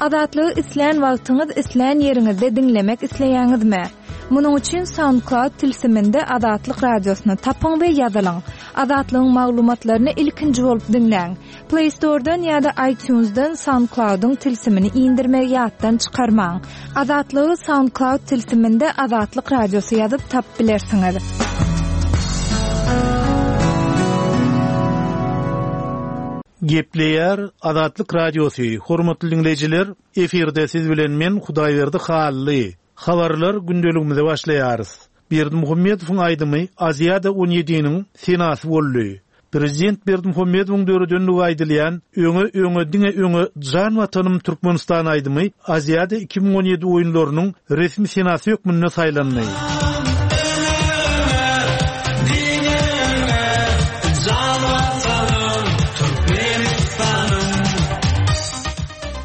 Azatlygy islän wagtyňyz, islän ýeriňizde diňlemek isleýäňizmi? Munuň üçin SoundCloud tilsiminde Azatlyk Radiosyny tapyň we ýazylyň. Azatlygyň maglumatlaryny ilkinji bolup diňläň. Play Store-dan ýa-da iTunes-dan SoundCloud-yň tilsimini indirmegi ýatdan çykarmaň. Azatlygy SoundCloud tilsiminde Azatlyk Radiosy ýazyp tapyp bilersiňiz. Gepleýär Azatlyk Radiosy, Hormatly diňleýjiler, efirde siz bilen men Hudaýberdi Hally. Habarlar gündeligimize başlaýarys. Berdimuhamedowyň aýdymy Aziada on ýediniň senasy boldy. Prezident Berdimuhamedowyň döredenligi aýdylýan Öňe, öňe, diňe öňe jan Watanym Türkmenistan aýdymy Aziada 2017 oýunlarynyň resmi senasy hökmünde saýlandy.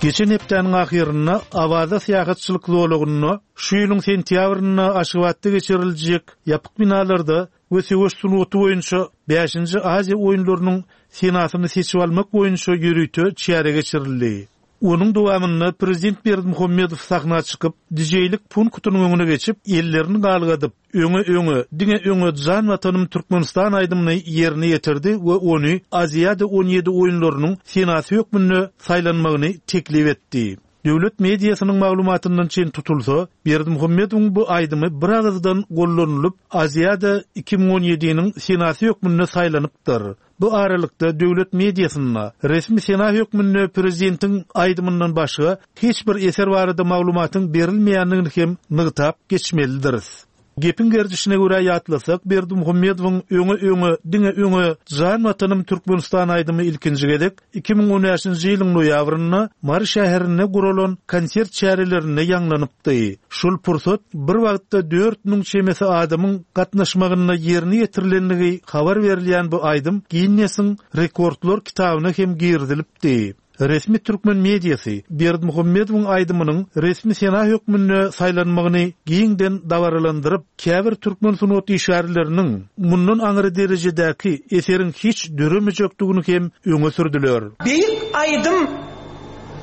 Geçen hepdäniň ahyrynda Awaza syýahatçylyk zolagynda şu ýylyň sentýabrynda Aşgabatda geçiriljek ýapyk binalarda we söweş sungaty boýunça bäşinji Aziýa oýunlarynyň senasyny seçip almak boýunça ýörite çäre geçirildi. Onuň dowamynda prezident Berdimuhamedow sahna çykyp, dijeýlik punktynyň öňüne geçip, ellerini galgadyp, Öňe, öňe, diňe öňe jan Watanym Türkmenistan aýdymyny ýerine ýetirdi we ony Aziada 17 oýunlarynyň senasy hökmünde saýlanmagyny teklip etdi. Döwlet mediasynyň maglumatyndan çen tutulsa, Berdimuhamedowyň bu aýdymy biragyzdan gollanylyp, Aziada 2017-niň senasy hökmünde saýlanypdyr. Bu aralykda, döwlet mediasynda resmi sena hökmünde prezidentiň aýdymyndan başga hiç bir eser barada maglumatyň berilmeýändigini hem nygtap geçmelidiris. Gepiň gerdişine görä ýatlasak, Berdimuhamedowyň Öňe, öňe, diňe öňe, jan Watanym Türkmenistan aýdymy ilkinji gezek 2015-nji ýylyň noýabrynda Mary şäherinde guralan konsert çärelerinde ýaňlanypdy. Şol pursat bir wagtda 4000 çemesi adamyň gatnaşmagynda ýerine ýetirilendigi habar berilýän bu aýdym Ginnesiň rekordlar kitabyna hem girizilipdi. Resmi türkmen mediasy Berdimuhamedowyň aýdymynyň resmi sena hökmünde saýlanmagyny giňden dabaralandyryp, käbir türkmen sungat işgärleriniň mundan aňry derejedäki eseriň hiç döremejekdigini hem öňe sürdüler. Beýik aýdym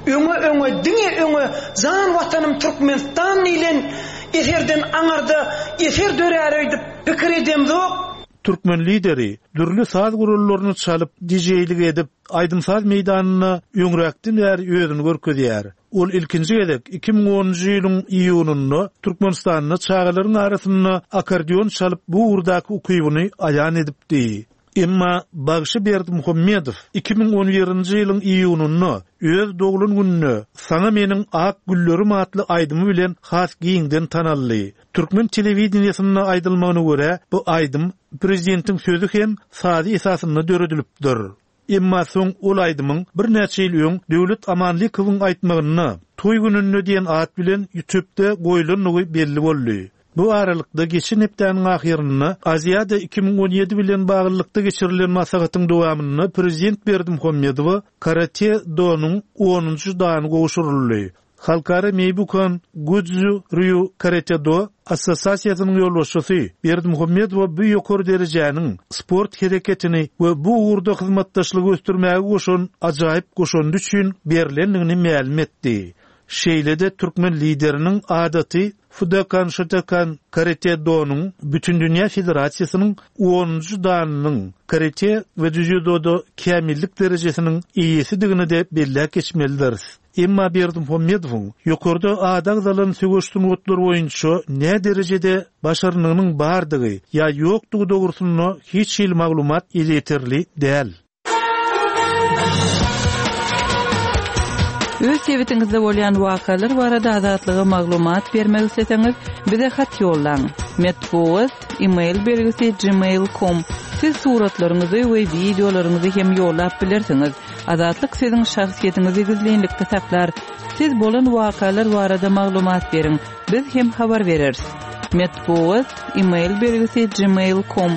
Öňe öňe diňe öňe jan watanym Türkmenistan diýlen eserden aňarda eser dörär öýdüp pikir edemzok. Türkmen lideri dürli saz gurallaryny çalyp, dijeýlik edip, aýdym-saz meýdanynda öňräkden bäri özüni görkezýär. Ol ilkinji gezek 2010-njy ýylyň iýunynda Türkmenistanda çagalaryň arasynda akkordeon çalyp bu ugurdaky ukybyny aýan edipdi. Emma bagşy Berdimuhamedow 2011-nji ýylyň iýunynda öz doglan gününde Saňa meniň ak güllerim atly aýdymy bilen has giňden tanaldy. Türkmen telewideniýesinde aýdylmagyna görä, bu aýdym prezidentiň sözi hem sazy esasynda döredilipdir. Emma soň ol aýdymyň birnäçe ýyl öň Döwlet Amanlykowyň aýtmagynda Toý gününde diýen at bilen ýutubda goýlandygy belli boldy. Bu aralykda, geçen hepdäniň ahyrynda Aziada 2017 bilen baglylykda geçirilen maslahatyň dowamynda prezident Berdimuhamedowa karate-donyň onunjy dany gowşuryldy. Halkara Meýbukan Gudzu Rýu Karate-do assosiasiýasynyň ýolbaşçysy Berdimuhamedowa bu ýokary derejäniň sport hereketini we bu ugurda hyzmatdaşlygy ösdürmäge goşan ajaýyp goşandy üçin berlendigini mälim etdi. Şeýle-de türkmen Lideriniň adaty Fudokan Şotokan Karate-donyň Bütindünýä federasiýasynyň onunjy danynyň karate we dzýudoda kämillik derejesiniň eýesidigini-de belläp geçmelidiris. Emma Berdimuhamedowyň ýokarda ady agzalan söweş sungatlary boýunça näderejede başarnygynyň bardygy ýa ýokdugy dogrusynda hiç hili maglumat elýeterli däl. Öz sebitiňizde bolýan wakalar barada Azatlyga maglumat bermek isleseňiz, bize hat ýollaň. Metbugat, e-mail belgisi gmail com. Siz suratlaryňyzy we wideolaryňyzy hem ýollap bilersiňiz. Azatlyk siziň şahsyýetiňizi gizlinlikde saklar. Siz bolan wakalar barada maglumat beriň, biz hem habar bereris. Metbugat, e-mail belgisi gmail com.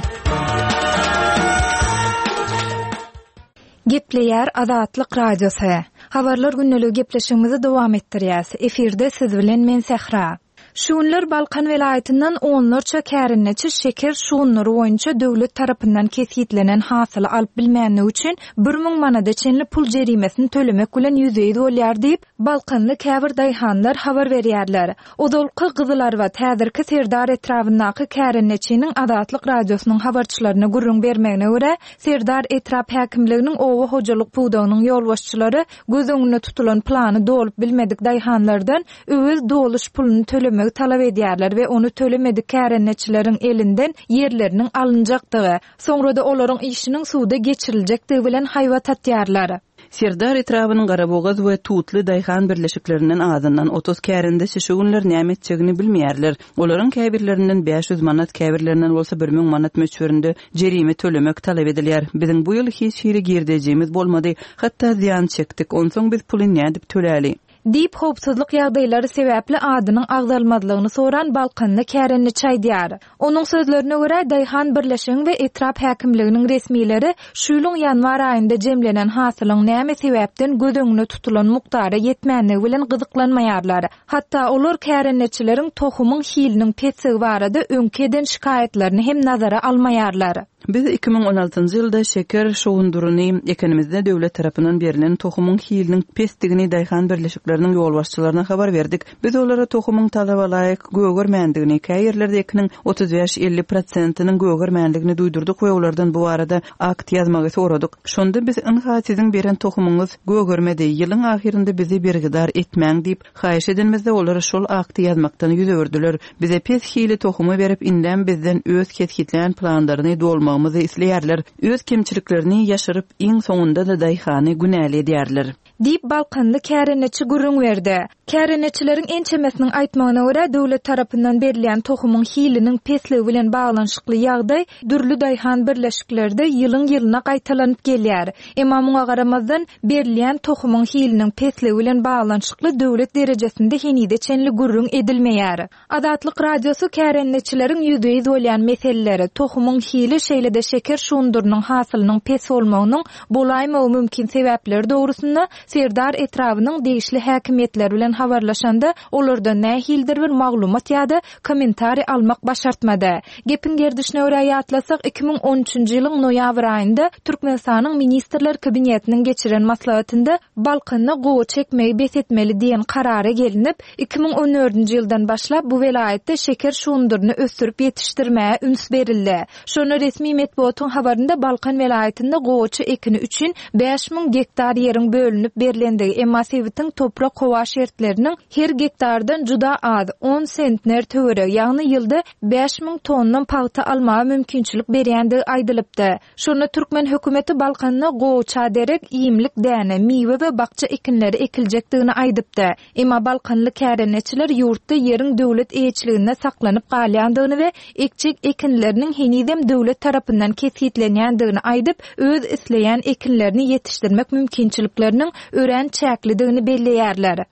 Gepleýär Azatlyk Radiosy. Habarlar gündeligi gepleşigimizi dowam etdirýäs. Efirde siz bilen men Sähra. Şu günler Balkan welaýatyndan onlarça kärendeçi şeker şugundyry boýunça döwlet tarapyndan kesgitlenen hasyly alyp bilmänligi üçin 1000 manada çenli pul jerimesini tölemek bilen ýüzbe-ýüz bolýar diýip, balkanly käbir daýhanlar habar berýärler. Ozalky Gyzylarbat, häzirki Serdar etrabyndaky kärendeçiniň Azatlyk Radiosynyň habarçylaryna gürrüň bermegine görä, Serdar etrap häkimliginiň oba hojalyk pudagynyň ýolbaşçylary göz öňünde tutulan plany dolup bilmedik daýhanlardan öwez doluş puluny tölemegi talap edýärler we ony tölemedik kärendeçileriň elinden ýerleriniň alynjakdygy, soňra-da olaryň işiniň suda geçiriljekdigi bilen haýbat atýarlar. Serdar etrabynyň Garabogaz we Tutly daýhan birleşiklerinden azyndan 30 kärendeçi şu günler näme etjegini bilmeýärler. Olaryň käbirlerinden 500 manat, käbirlerinden bolsa 1000 manat möçberinde jerime tölemek talap edilýär. Biziň bu ýyl hiç hili girdejimiz bolmady, hatda zyýan çekdik. Onsoň biz puly nädip töläli? Diýip, howpsuzlyk ýagdaýlary sebäpli adynyň agzalmazlygyny soran balkanly kärendeçi aýdýar. Onuň sözlerine görä, daýhan birleşigiň we etrap häkimliginiň resmileri şu ýylyň ýanwar aýynda jemlenen hasylyň näme sebäpden göz öňünde tutulan mukdara ýetmänligi bilen gyzyklanmaýarlar. Hatda olar kärendeçileriň tohumyň hiliniň pesdigi barada öňki eden şikaýatlaryny hem nazara almaýarlar. Biz 2016-njy ýylda şeker şugundyryny ekenimizde döwlet tarapyndan berlen tohumyň hiliniň pesdigini daýhan birleşikleriniň ýolbaşçylaryna habar berdik. Biz olara tohumyň talaba laýyk gögermändigini, käýerlerde ekiniň 35-50 prosentiniň gögermändigini duýdurdyk we olardan bu barada akt ýazmagy soradyk. Şonda biz ynha siziň beren tohumyňyz gögermedi, ýylyň ahyrynda bizi bergidar etmäň diýip, haýyş edenimizde olar şol akty ýazmakdan ýüz öwürdiler. Bize pes hili tohumy berip, indem bizden öz kesgitlän planlaryny dolmagymyzy isleýärler. Öz kemçiliklerini ýaşyryp, iň soňunda-da daýhany günäli edýärler. Diýip, balkanly kärendeçi gürrüň berdi. Kärendeçileriň ençemesiniň aýtmagyna görä, döwlet tarapyndan berilýän tohumyň hiliniň pesligi bilen baglanyşykly ýagdaý dürli daýhan birleşiklerde ýylyň-ýylyna gaýtalanyp gelýär. Emma muňa garamazdan, berilýän tohumyň hiliniň pesligi bilen baglanyşykly döwlet derejesinde henize çenli gürrüň edilmeýär. Azatlyk Radiosy kärendeçileriň ýüzbe-ýüz bolýan meseleleri, tohumyň hili, şeýle-de şeker şugundyrynyň hasylynyň pes bolmagynyň bolaýmagy mümkin sebäpleri dogrusynda Serdar etrabynyň degişli häkimiýetleri bilen habarlaşanda, olardan nähilidir bir maglumat ýa-da kommentariý almak başartmady. Gepiň gerdişine görä ýatlasak, 2013-nji ýylyň noýabr aýynda Türkmenistanyň Ministrler Kabinetiniň geçiren maslahatynda Balkanda gowaça ekmegi bes etmeli diýen karara gelinip, 2014-nji ýyldan başlap bu welaýatda şeker şugundyryny ösdürip ýetişdirmäge üns berildi. Şonda resmi metbugatyň habarynda Balkan welaýatynda gowaça ekini üçin 5000 gektar ýeriň bölünip berlendigi, emma sebitiň toprak-howa şertleriniň her gektardan juda az, on sentner töweregi, ýagny ýylda 5000 tonna pagta almaga mümkinçilik berýändigi aýdylypdy. Şonda türkmen hökümeti Balkanda gowaça derek iýmlik däne, miwe we bakja ekinleri ekiljekdigini aýdypdy. Emma balkanly kärendeçiler ýurtda ýeriň döwlet eýeçiliginde saklanyp galýandygyny we ekjek ekinleriniň henizem döwlet tarapyndan kesgitlenýändigini aýdyp, öz isleýän ekinlerini ýetişdirmek mümkinçilikleriniň örän çäklidigini belleýärler.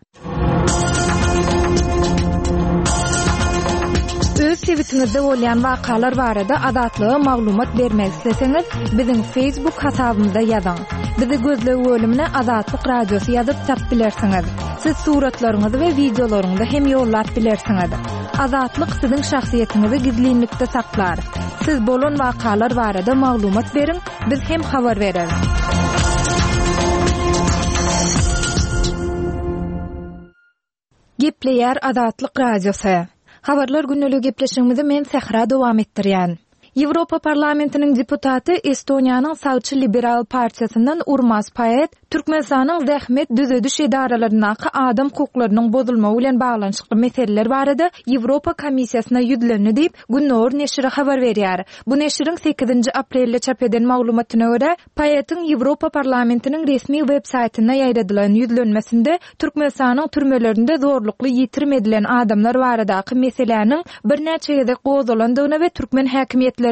Öz sebitiňizde bolýan wakalar barada Azatlyga maglumat bermek isleseňiz, biziň Facebook hasabymyza ýazyň. Bizi gözleg bölümine Azatlyk Radiosy ýazyp tapyp bilersiňiz. Siz suratlaryňyzy we wideolaryňyzy hem ýollap bilersiňiz. Azatlyk siziň şahsyýetiňizi gizlinlikde saklar. Siz bolan wakalar barada maglumat beriň, biz hem habar bereris. Gepleýär Azatlyk Radiosy. Habarlar gündeligi gepleşigimizi men Sähra dowam etdirýän. Ýewropa Parlamentiniň deputaty, Estoniýanyň sagçy liberal partiýasyndan Urmas Paet Türkmenistanyň zähmet düzediş edaralaryndaky adam hukuklarynyň bozulmagy bilen baglanyşykly meseleler barada Ýewropa Komissiýasyna ýüzlendi diýip, Gündogar neşiri habar berýär. Bu neşiriň sekizinji aprelde çap eden maglumatyna görä, Paetiň Ýewropa Parlamentiniň resmi web saýtynda ýaýradylan ýüzlenmesinde Türkmenistanyň türmelerinde zorlukly ýitirim edilen adamlar baradaky meseläniň birnäçe gezek gozgalandygyna we türkmen häkimiýetleriniň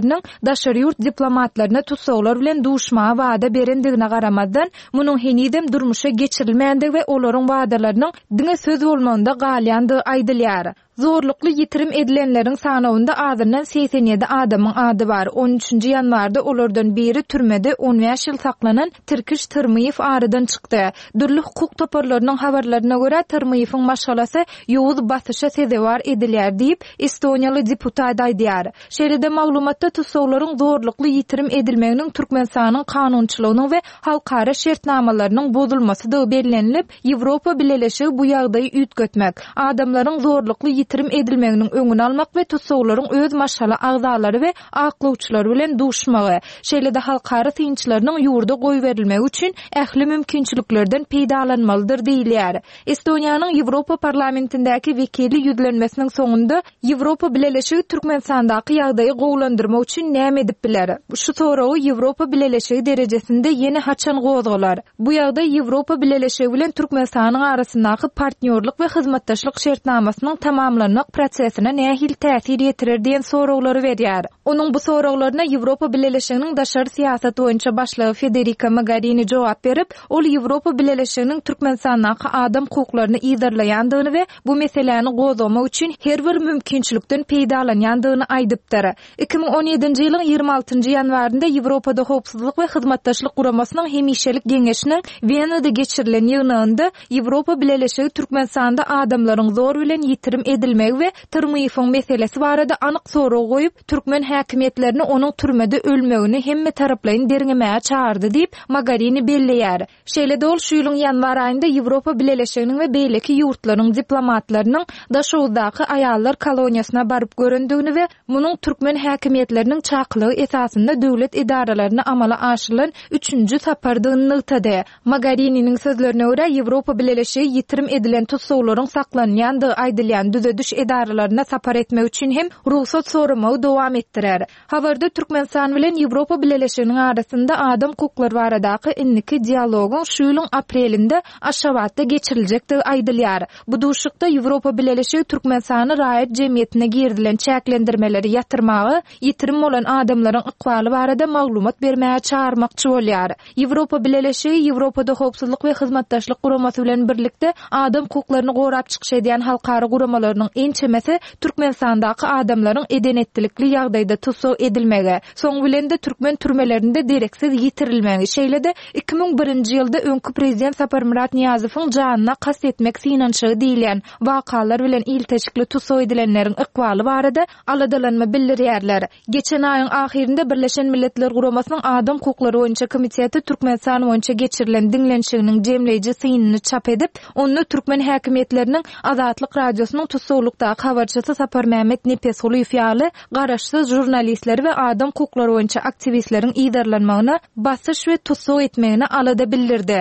daşary ýurt diplomatlaryna tussaglar bilen duşmaga wada berendigine garamazdan, munuň henizem durmuşa geçirilmändigi we olaryň wadalarynyň diňe söz bolmagynda galýandygy aýdylýar. Zorlukly ýitirim edilenleriň sanawynda azyndan 87 adamyň ady bar. On üçünji ýanwarda olardan biri türmede on bäş ýyl saklanan Tirkiş Tyrmyýew aradan çykdy. Dürli hukuk toparlarynyň habarlaryna görä, Tyrmyýewiň maşgalasy ýowuz basyşa sezewar edilýär diýip, estoniýaly deputat aýdýar. Şeýle-de maglumatda tussaglaryň zorlukly ýitirim edilmeginiň Türkmenistanyň kanunçylygynyň we halkara şertnamalarynyň bozulmasydygy bellenilip, Ýewropa Bileleşigi bu ýagdaýy üýtgetmek, adamlaryň zorlukly ýitirim edilmeginiň öňüni almak we tussaglaryň öz maşgala agzalary we aklawçylary bilen duşmagy, şeýle-de halkara synçylarynyň ýurda goýberilmegi üçin ähli mümkinçiliklerden peýdalanmalydyr diýilýär. Estoniýanyň Ýewropa Parlamentindäki wekili ýüzlenmesiniň soňunda Ýewropa Bileleşigi Türkmenistandaky ýagdaýy gowulandyrmak üçin näme edip biler? Şu soragy Ýewropa Bileleşigi derejesinde ýene haçan gozgalar? Bu ýagdaý Ýewropa Bileleşigi bilen Türkmenistanyň arasyndaky partnýorlyk we hyzmatdaşlyk şertnamasynyň tamamlanmak prosesine nähili täsir ýetirer diýen soraglary berýär. Onuň bu soraglaryna Ýewropa Bileleşiginiň daşary syýasat boýunça başlygy Federika Mogarini jogap berip, ol Ýewropa Bileleşiginiň Türkmenistandaky adam hukuklaryny yzarlaýandygyny we bu meseläni gozgamak üçin her bir mümkinçilikden peýdalanýandygyny aýdypdyr. 2017-nji ýylyň 26-njy ýanwarynda Ýewropada Howpsuzlyk we Hyzmatdaşlyk Guramasynyň Hemişelik Geňeşiniň Wenada geçirilen ýygnagynda Ýewropa Bileleşigi Türkmenistanda adamlaryň zor bilen ýitirim edilmegi we Tyrmyýewiň meselesi barada anyk sorag goýup, türkmen häkimiýetlerini onuň türmede ölmegini hemmetaraplaýyn derňemäge çagyrdy diýip, Mogarini belleýär. Şeýle-de ol şu ýylyň ýanwar aýynda Ýewropa Bileleşiginiň we beýleki ýurtlaryň diplomatlarynyň Daşoguzdaky aýallar koloniýasyna baryp görendigini we munuň türkmen häkimiýetleriniň çakylygy esasynda döwlet edaralaryna amala aşyrylan üçünji sapardygyny nygtady. Mogarininiň sözlerine görä, Ýewropa Bileleşigi ýitirim edilen tussaglaryň saklanylýandygy aýdylýan düzediş edaralaryna sapar etmek üçin hem rugsat soramagy dowam etdirer. Habarda Türkmenistan bilen Ýewropa Bileleşiginiň arasynda adam hukuklary baradaky indiki dialogyň şu ýylyň aprelinde Aşgabatda geçiriljekdigi aýdylýar. Bu duşuşykda Ýewropa Bileleşigi Türkmenistany raýat jemgyýetine girizilen çäklendirmeleri ýatyrmaga, ýitirim bolan adamlaryň ykbaly barada maglumat bermäge çagyrmakçy bolýar. Ýewropa Bileleşigi Ýewropada Howpsuzlyk we Hyzmatdaşlyk Guramasy bilen birlikde adam hukuklaryny gorap çykyş edýän halkara guramalarynyň ençemesi Türkmenistandaky adamlaryň eden-etdilikli ýagdaýda tussag edilmegi, soň bilen-de türkmen türmelerinde dereksiz ýitirilmegi, şeýle-de 2001-nji ýylda öňki prezident Saparmyrat Nyýazowyň janyna kast etmek synanyşygy diýilýän wakalar bilen ilteşikli tussag edilenleriň ykbaly barada aladalanma bildirýärler. Geçen aýyň ahyrynda Birleşen Milletler Guramasynyň Adam hukuklary boýunça komiteti Türkmenistan boýunça geçirilen diňlenişiginiň jemleýji synyny çap edip, onda türkmen häkimiýetleriniň Azatlyk Radiosynyň tussaglykdaky habarçysy Saparmämmet Nepesgulyýew ýaly garaşsyz žurnalistleri we adam hukuklary boýunça aktiwistleriň yzarlanmagyna, basyş we tussag etmegine alada bildirdi.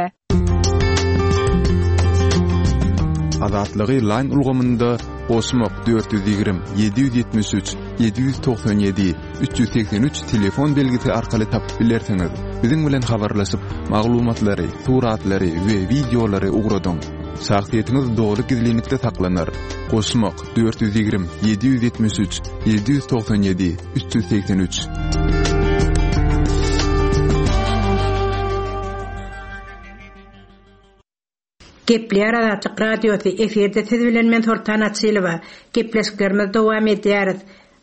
Azatlygy Line ulgamynda goşmak 420 773 797 383 telefon belgisi arkaly tapyp bilersiňiz. Biziň bilen habarlaşyp, maglumatlary, suratlary we wideolary ugradyň. Şahsyýetiňiz doly gizlinlikde saklanar. Goşmak 420 773 797 383. Gepleýär Azatlyk Radiosy, efirde siz bilen men Soltan Açylowa. Gepleşiklerimizi dowam edýäris.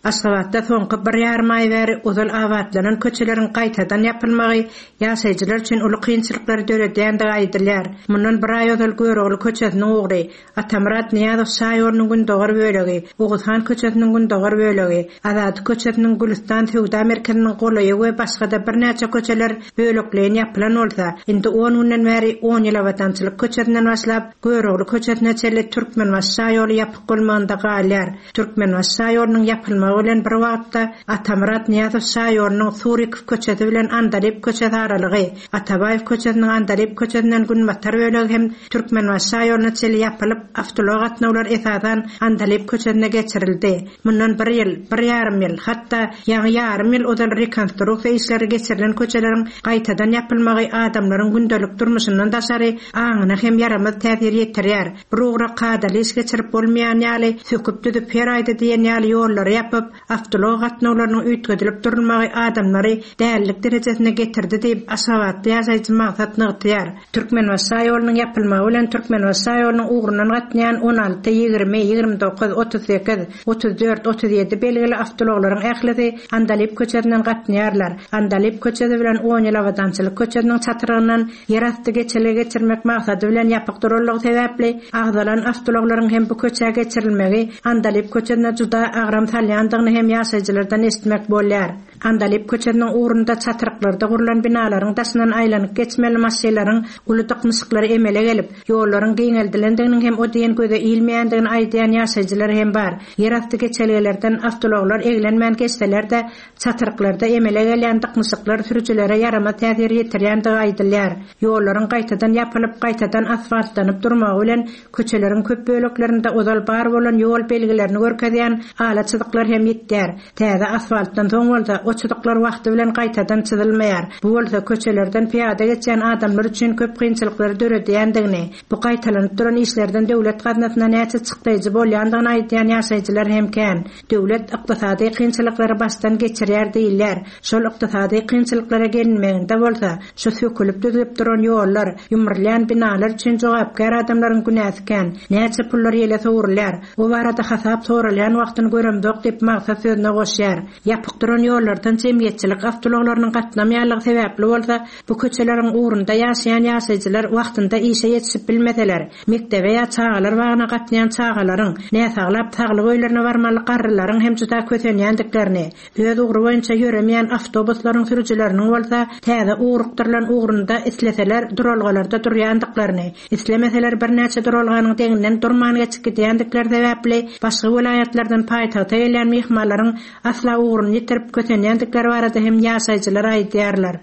Aşgabatda soňky bir ýarym aý bäri ozal abatlanan köçeleriň gaýtadan ýapylmagy ýaşaýjylar üçin uly kynçylyklary döredýändigi aýdylýar. Mundan bir aý ozal Görogly köçesiniň ugry, Atamyrat Nyýazow şaýolunyň gündogar bölegi, Oguzhan köçesiniň gündogar bölegi, Azady köçesiniň Gülüstan söwda merkeziniň golaýy we başga-da birnäçe köçeler bölekleýin ýapylan bolsa, indi on günden bäri On ýyl Abadançylyk köçesinden başlap, Görogly köçesine çenli Türkmenbaşy şaýoly ýapyk bolmagynda galýar. Türkmenbaşy şaýolunyň ýapylmagy bilen bir wagtda Atamyrat Nyýazow şaýolunyň Surikow köçesi bilen Andalyp köçesi aralygy, Atabaýew köçesiniň Andalyp köçesinden günbatar bölegi hem Türkmenbaşy şaýoluna çenli ýapylyp, awtoulag gatnawlary esasan Andalyp köçesine geçirildi. Mundan bir ýyl, bir ýarym ýyl, hatda ýaňy ýarym ýyl ozal rekonstruksiýa işleri geçirilen köçeleriň gaýtadan ýapylmagy adamlaryň gündelik durmuşyndan daşary aňyna hem ýaramaz täsir ýetirýär. Bir ugra kadaly iş geçirip bolmaýan ýaly, söküp-düzüp her aýda diýen ýaly ýollary ýapyp. ýapyp, awtoulag gatnawlarynyň üýtgedilip durulmagy adamlary dälilik derejesine getirdi diýip, aşgabatly ýaşaýjy Magsat nygtaýar. Türkmenbaşy şaýolunyň ýapylmagy bilen Türkmenbaşy şaýolunyň ugrundan gatnaýan 16, 20, 29, 38, 34, 37 belgili awtoulaglaryň ählisi Andalyp köçesinden gatnaýarlar. Andalyp köçesi bilen On ýyl Abadançylyk köçesiniň çatrygyndan ýerasty geçelge geçirmek maksady bilen ýapyk duranlygy sebäpli, agzalan awtoulaglaryň hem bu köçä geçirilmegi Andalyp köçesine juda agram salýandygyny hem ýaşaýjylardan eşitmek bolýar. Andalyp köçesiniň ugrunda çatryklarda gurlan binalaryň daşyndan aýlanyp geçmeli maşynlaryň uly dyknyşyklary emele gelip, ýollaryň giňeldilendiginiň hem o diýen göze ilmeýändigini aýdýan ýaşaýjylar hem bar. Ýerasty geçelgelerden awtoulaglar eglenmän geçseler-de, çatryklarda emele gelýän dyknyşyklar sürüjilere ýaramaz täsir ýetirýändigi aýdylýar. Ýollaryň gaýtadan ýapylyp, gaýtadan asfaltlanyp durmagy bilen köçeleriň köp böleklerinde ozal bar bolan ýol belgilerini görkezýän ala çyzyklar hem ýitýär. Täze asfaltdan soň bolsa, o çyzyklar wagty bilen gaýtadan çyzylmaýar. Bu bolsa köçelerden pyýada geçýän adamlar üçin köp kynçylyklary döredýändigini, bu gaýtalanyp duran işlerden döwlet gaznasyna näçe çykdaýjy bolýandygyny aýdýan ýaşaýjylar hem kän. Döwlet ykdysady kynçylyklary başdan geçirýär diýilýär. Şol ykdysady kynçylyklara gelinmeginde bolsa, şu sökülip-düzlüp duran ýollar, ýumrulýan binalar üçin jogapkär adamlaryň günäsi kän. Näçe pullar ýele sowrulýar. Bu barada hasap soralýan wagtyny göremzok diýip, Maksat sözüne goşýar. Ýapyk duran ýollardan jemgyýetçilik awtoulaglarynyň gatnamaýanlygy sebäpli bolsa, bu köçeleriň ugrunda ýaşaýan ýaşaýjylar wagtynda işe ýetişip bilmeseler, mekdebe ýa çagalar bagyna gatnaýan çagalaryň, näsaglap saglyk öýlerine barmaly garrylaryň hem juda kösenýändiklerini, Öz ugry boýunça ýöremeýän awtobuslaryň sürüjileriniň bolsa täze ugrukdyrylan ugrunda isleseler duralgalarda durýandyklaryny, islemeseler birnäçe duralganyň deňinden durman geçip gidýändikleri sebäpli başga welaýatlardan paýtagta gelýän myhmanlaryň asla ugruny ýitirip kösenýändikleri barada hem ýaşaýjylar aýdýarlar.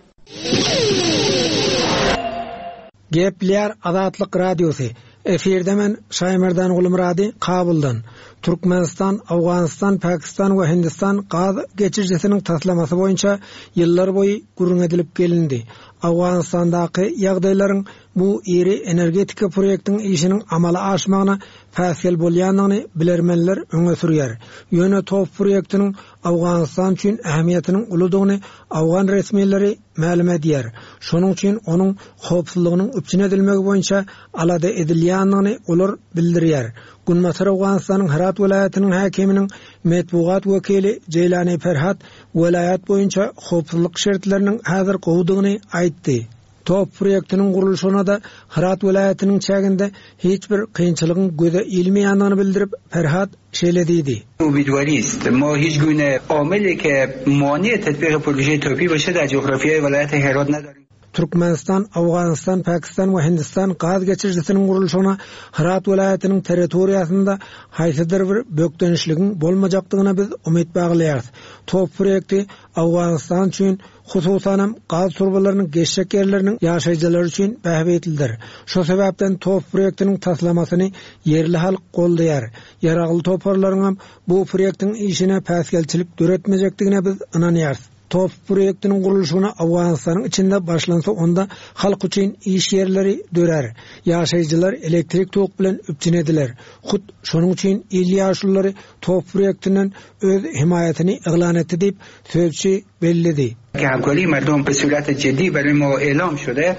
Gepleýär Azatlyk Radiosy, Efirde men Şaýmerdan Gulmyrady Kabuldan. Türkmenistan, Owganystan, Pakistan we Hindistan gaz geçirijisiniň taslamasy boýunça ýyllar boýy gürrüň edilip gelindi. Owganystandaky ýagdaýlaryň bu iri energetika proýektiň işiniň amala aşmagyna päsgel bolýandygyny bilermenler öňe sürýär. Ýöne TOPH proýektiniň Owganystan üçin ähmiýetiniň uludygyny owgan resmileri mälim edýär. Şonuň üçin onuň howpsuzlygynyň üpjün edilmegi boýunça alada edilýändigini olar bildirýär. Günbatar Owganystanyň Hyrat welaýatynyň häkiminiň metbugat wekili Jeýlani Ferhat welaýat boýunça howpsuzlyk şertleriniň häzir gowudygyny aýtdy. TOPH proýektiniň gurluşygyna-da Hyrat welaýatynyň çäginde hiç bir kynçylygyň göze ilmeýändigini bildirip, Ferhat şeýle diýdi. امیدواریست ما هیچ گونه عاملی که مانع تطبیق پروژه توپی باشه در جغرافیای ولایت هرات نداریم. Türkmenistan, Owganystan, Pakistan we Hindistan gaz geçirijisiniň gurluşygyna Hyrat welaýatynyň territoriýasynda haýsydyr bir bökdençligiň bolmajakdygyna biz umyt baglaýarys. TOPH proýekti Owganystan üçin Hususanam, gaz turbalarynyň geçjek ýerleriniň ýaşaýjylary üçin bähbitlidir. Şo sebäpden TOPH proýektiniň taslamasyny ýerli halk goldaýar. Ýaragly toparlaryňam bu proýektiň işine päsgelçilik döretmejekdigine biz ynanýarys. TOPH proýektiniň gurluşygyna Owganystanyň içinde başlansa onda halk üçin iş ýerleri dörär. Ýaşaýjylar elektrik tok bilen üpjün ediler. Hut şonuň üçin il ýaşululary TOPH proýektinden öz hemaýatyny yglan etdi diýip, sözçi belledi. که همکاری مردم به صورت جدی برای ما اعلام شده.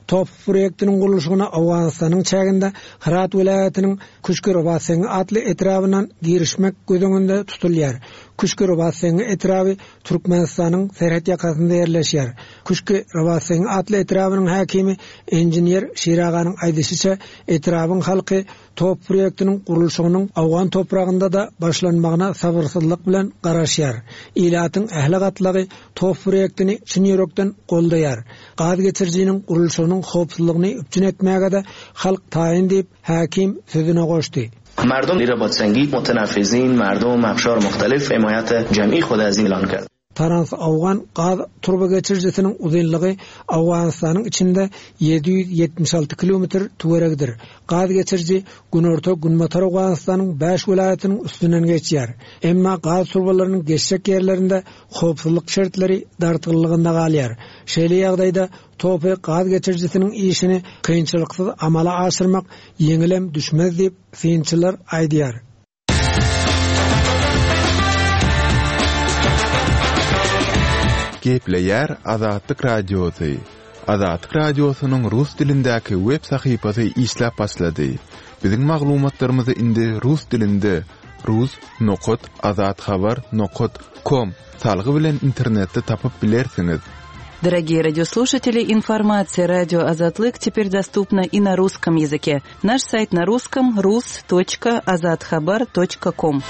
TOPH proýektiniň gurluşygyna Owganystanyň çäginde Hyrat welaýatynyň Küşki-Robatseňňi atly etrabyndan girişmek göz öňünde tutulýar. Küşki-Robatseňňi etraby Türkmenistanyň serhet ýakasynda ýerleşýär. Küşki-Robatseňňi atly etrabynyň häkimi inžener Şiraganyň aýdyşyça, etrabyň halky TOPH proýektiniň gurluşygynyň owgan topragynda-da başlanmagyna sabyrsyzlyk bilen garaşýar. Ilatyň ähli gatlagy TOPH proýektini çyn ýürekden goldaýar. Gaz geçirijiniň gurluşygynyň howpsuzlygyny üpjün etmäge-de halk taýyn diýip, häkim sözüne goşdy. مردم رباطسنگی متنفذین مردم اقشار مختلف حمایت جمعی خود از این اعلان کرد. Trans-Owgan gaz turbageçirijisiniň uzynlygy Owganystanyň içinde 776 kilometr töweregidir. Gaz geçiriji günorta-günbatar Owganystanyň bäş welaýatynyň üstünden geçýär. Emma gaz turbalarynyň geçjek ýerlerinde howpsuzlyk şertleri dartgynlygynda galýar. Şeýle ýagdaýda TOPH gaz geçirijisiniň işini kynçylyksyz amala aşyrmak ýeňilem düşmez diýip, synçylar aýdýar. Gepleýär Azatlyk Radiosy. Azatlyk Radiosynyň rus dilindäki web sahypasy işläp başlady. Biziň maglumatlarymyzy indi rus dilinde rus nokat azathabar nokat kom salgy bilen internetde tapyp bilersiňiz. Дорогие радиослушатели, информация радио Азатлык теперь доступна и на русском языке. Наш сайт на русском rus.azathabar.com.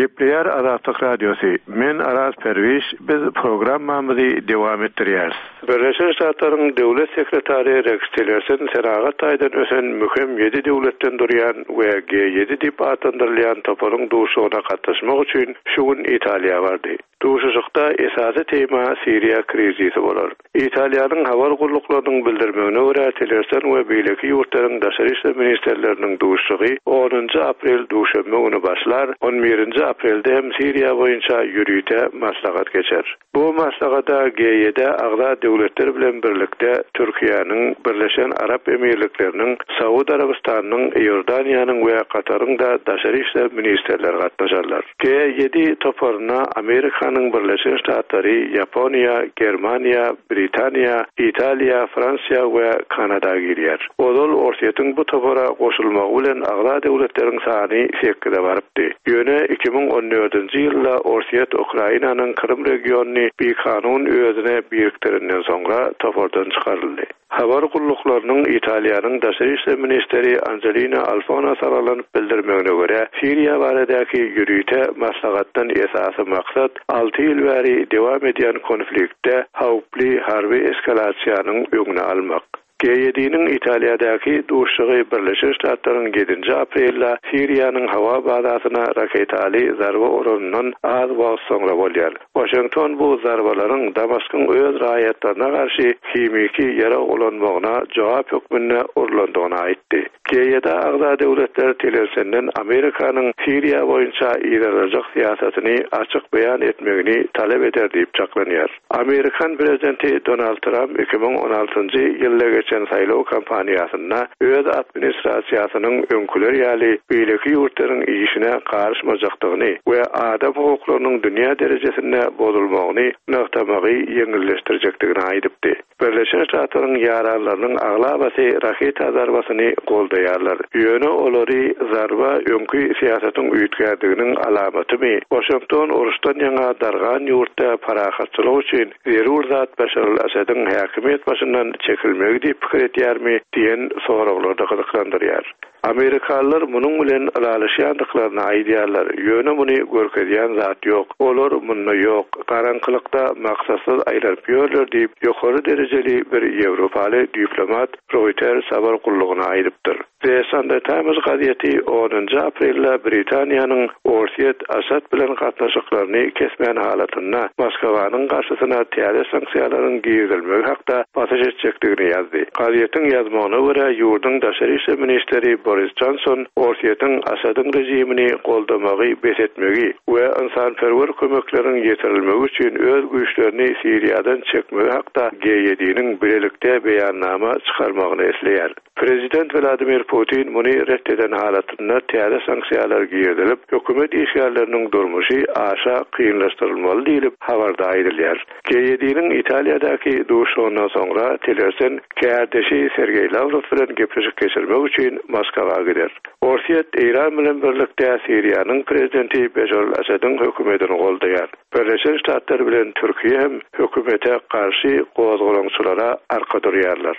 Gepleýär Azatlyk Radiosy, Men Araz Perwiş, biz programmamyzy dowam etdirýäris. Birleşen Ştatlaryň Döwlet sekretary Reks Tillerson senagat taýdan ösen möhüm ýedi döwletden durýan we G ýedi diýip atlandyrylýan toparyň duşuşygyna gatnaşmak üçin şu gün Italiýa bardy. Duşuşykda esasy tema Siriýa krizisi bolar. Italiýanyň habar gulluklarynyň bildirmegine görä, Tillerson we beýleki ýurtlaryň daşary işler ministrleriniň duşuşygy onunjy aprel duşenbe güni başlar, on birinji aprelde hem Siriýa boýunça ýörite maslahat geçer. Bu maslahata G ýedä agza döwletler bilen birlikde Türkiýäniň, Birleşen Arap Emirlikleriniň, Saud Arabystanynyň, Iordaniýanyň we Kataryň-da daşary işler ministrleri gatnaşarlar. G ýedi toparyna Amerikanyň Birleşen Ştatlary, Ýaponiýa, Germaniýa, Britaniýa, Italiýa, Fransiýa we Kanada girýär. Ozal Orsýetiň bu topara goşulmagy bilen agza döwletleriň sany sekize barypdy. Ýöne 2014-nji ýylda Orsýet Ukrainanyň Krym regionyny bikanun özüne birikdirenden soňra topardan çykaryldy. Habar gulluklarynyň Italiýanyň daşary işler ministri Anjelina Alfona salgylanyp bildirmegine görä, Siriýa baradaky ýörite maslahatdan esasy maksat alty ýyl bäri dowam edýän konfliktde howply harby eskalasiýanyň öňüni almak. G ýediniň Italiýadaky duşuşygy Birleşen Ştatlaryň ýedinji aprelde Siriýanyň howa bazasyna raketaly zarba uranyndan az wagt soňra bolýar. Waşington bu zarbalaryň Damaskyň öz raýatlaryna garşy himiki ýarag ulanmagyna jogap hökmünde urlandygyny aýtdy. GYD-a agza döwletler Tillersenden Amerikanyň Siriýa boýunça yzarlajak syýasatyny açyk beýan etmegini talap eder diýip çaklanýar. Amerikan prezidenti Donald Tramp 2016-njy ýylda geçen saýlaw kampaniýasynda öz administrasiýasynyň öňküler ýaly beýleki ýurtlaryň işine garyşmajakdygyny we adam hukuklarynyň dünýä derejesinde bozulmagyny nygtamagy ýeňilleşdirjekdigini aýdypdy. Birleşen Ştatlaryň ýaranlarynyň aglabasy raketa zarbasyny goldaýarlar. Ýöne olary zarba öňki syýasatyň üýtgärdiginiň alamatymy, Waşington uruşdan ýaňa dargan ýurtda parahatçylyk üçin zerur zat Başar al-Asadyň häkimiýet başyndan çekilmegi diýip pikir edýärmi diýen soraglar-da gyzyklandyrýar. Amerikalylar munuň bilen ylalaşýandyklaryny aýdýarlar, ýöne muny görkezýän zat ýok. Olar munda ýok, garaňkylykda maksatsyz aýlanyp ýörler diýip, ýokary derejeli bir ýewropaly diplomat Reuters habar gullugyna aýdypdyr. The Sunday Times gazeti onunjy aprelde Britaniýanyň Orsýet Asad bilen gatnaşyklaryny kesmän halatynda Moskwanyň garşysyna täze sanksiýalaryň girizilmegi hakda basyş etjekdigini ýazdy. Gazetiň ýazmagyna görä, ýurduň daşary işler ministri Boris Jonson Orsýetiň Asadyň režimini goldamagy bes etmegi we ynsanperwer kömekleriň ýetirilmegi üçin öz güýçlerini Siriýadan çekmegi hakda G ýediniň bilelikde beýannama çykarmagyny isleýär. Prezident Wladimir Putin muny ret eden halatynda täze sanksiýalar girizilip, hökümet işgärleriniň durmuşy aşa kynlaşdyrylmaly diýlip, habarda aýdylýar. G ýediniň Italiýadaky duşuşygyndan soňra Tillerson kärdeşi Sergeý Lawrow bilen gepleşik geçirmek üçin Moskwa gider. Orsýet Eýran bilen birlikde Siriýanyň prezidenti Beşar al-Asadyň hökümetini goldaýar. Birleşen Ştatlar bilen Türkiýe hem hökümete garşy gozgalaňçylara arka durýarlar.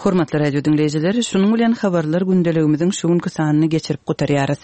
Hormatly radio diňleýjiler, şunuň bilen habarlar gündeligimiziň şu günki sanyny geçirip gutarýarys.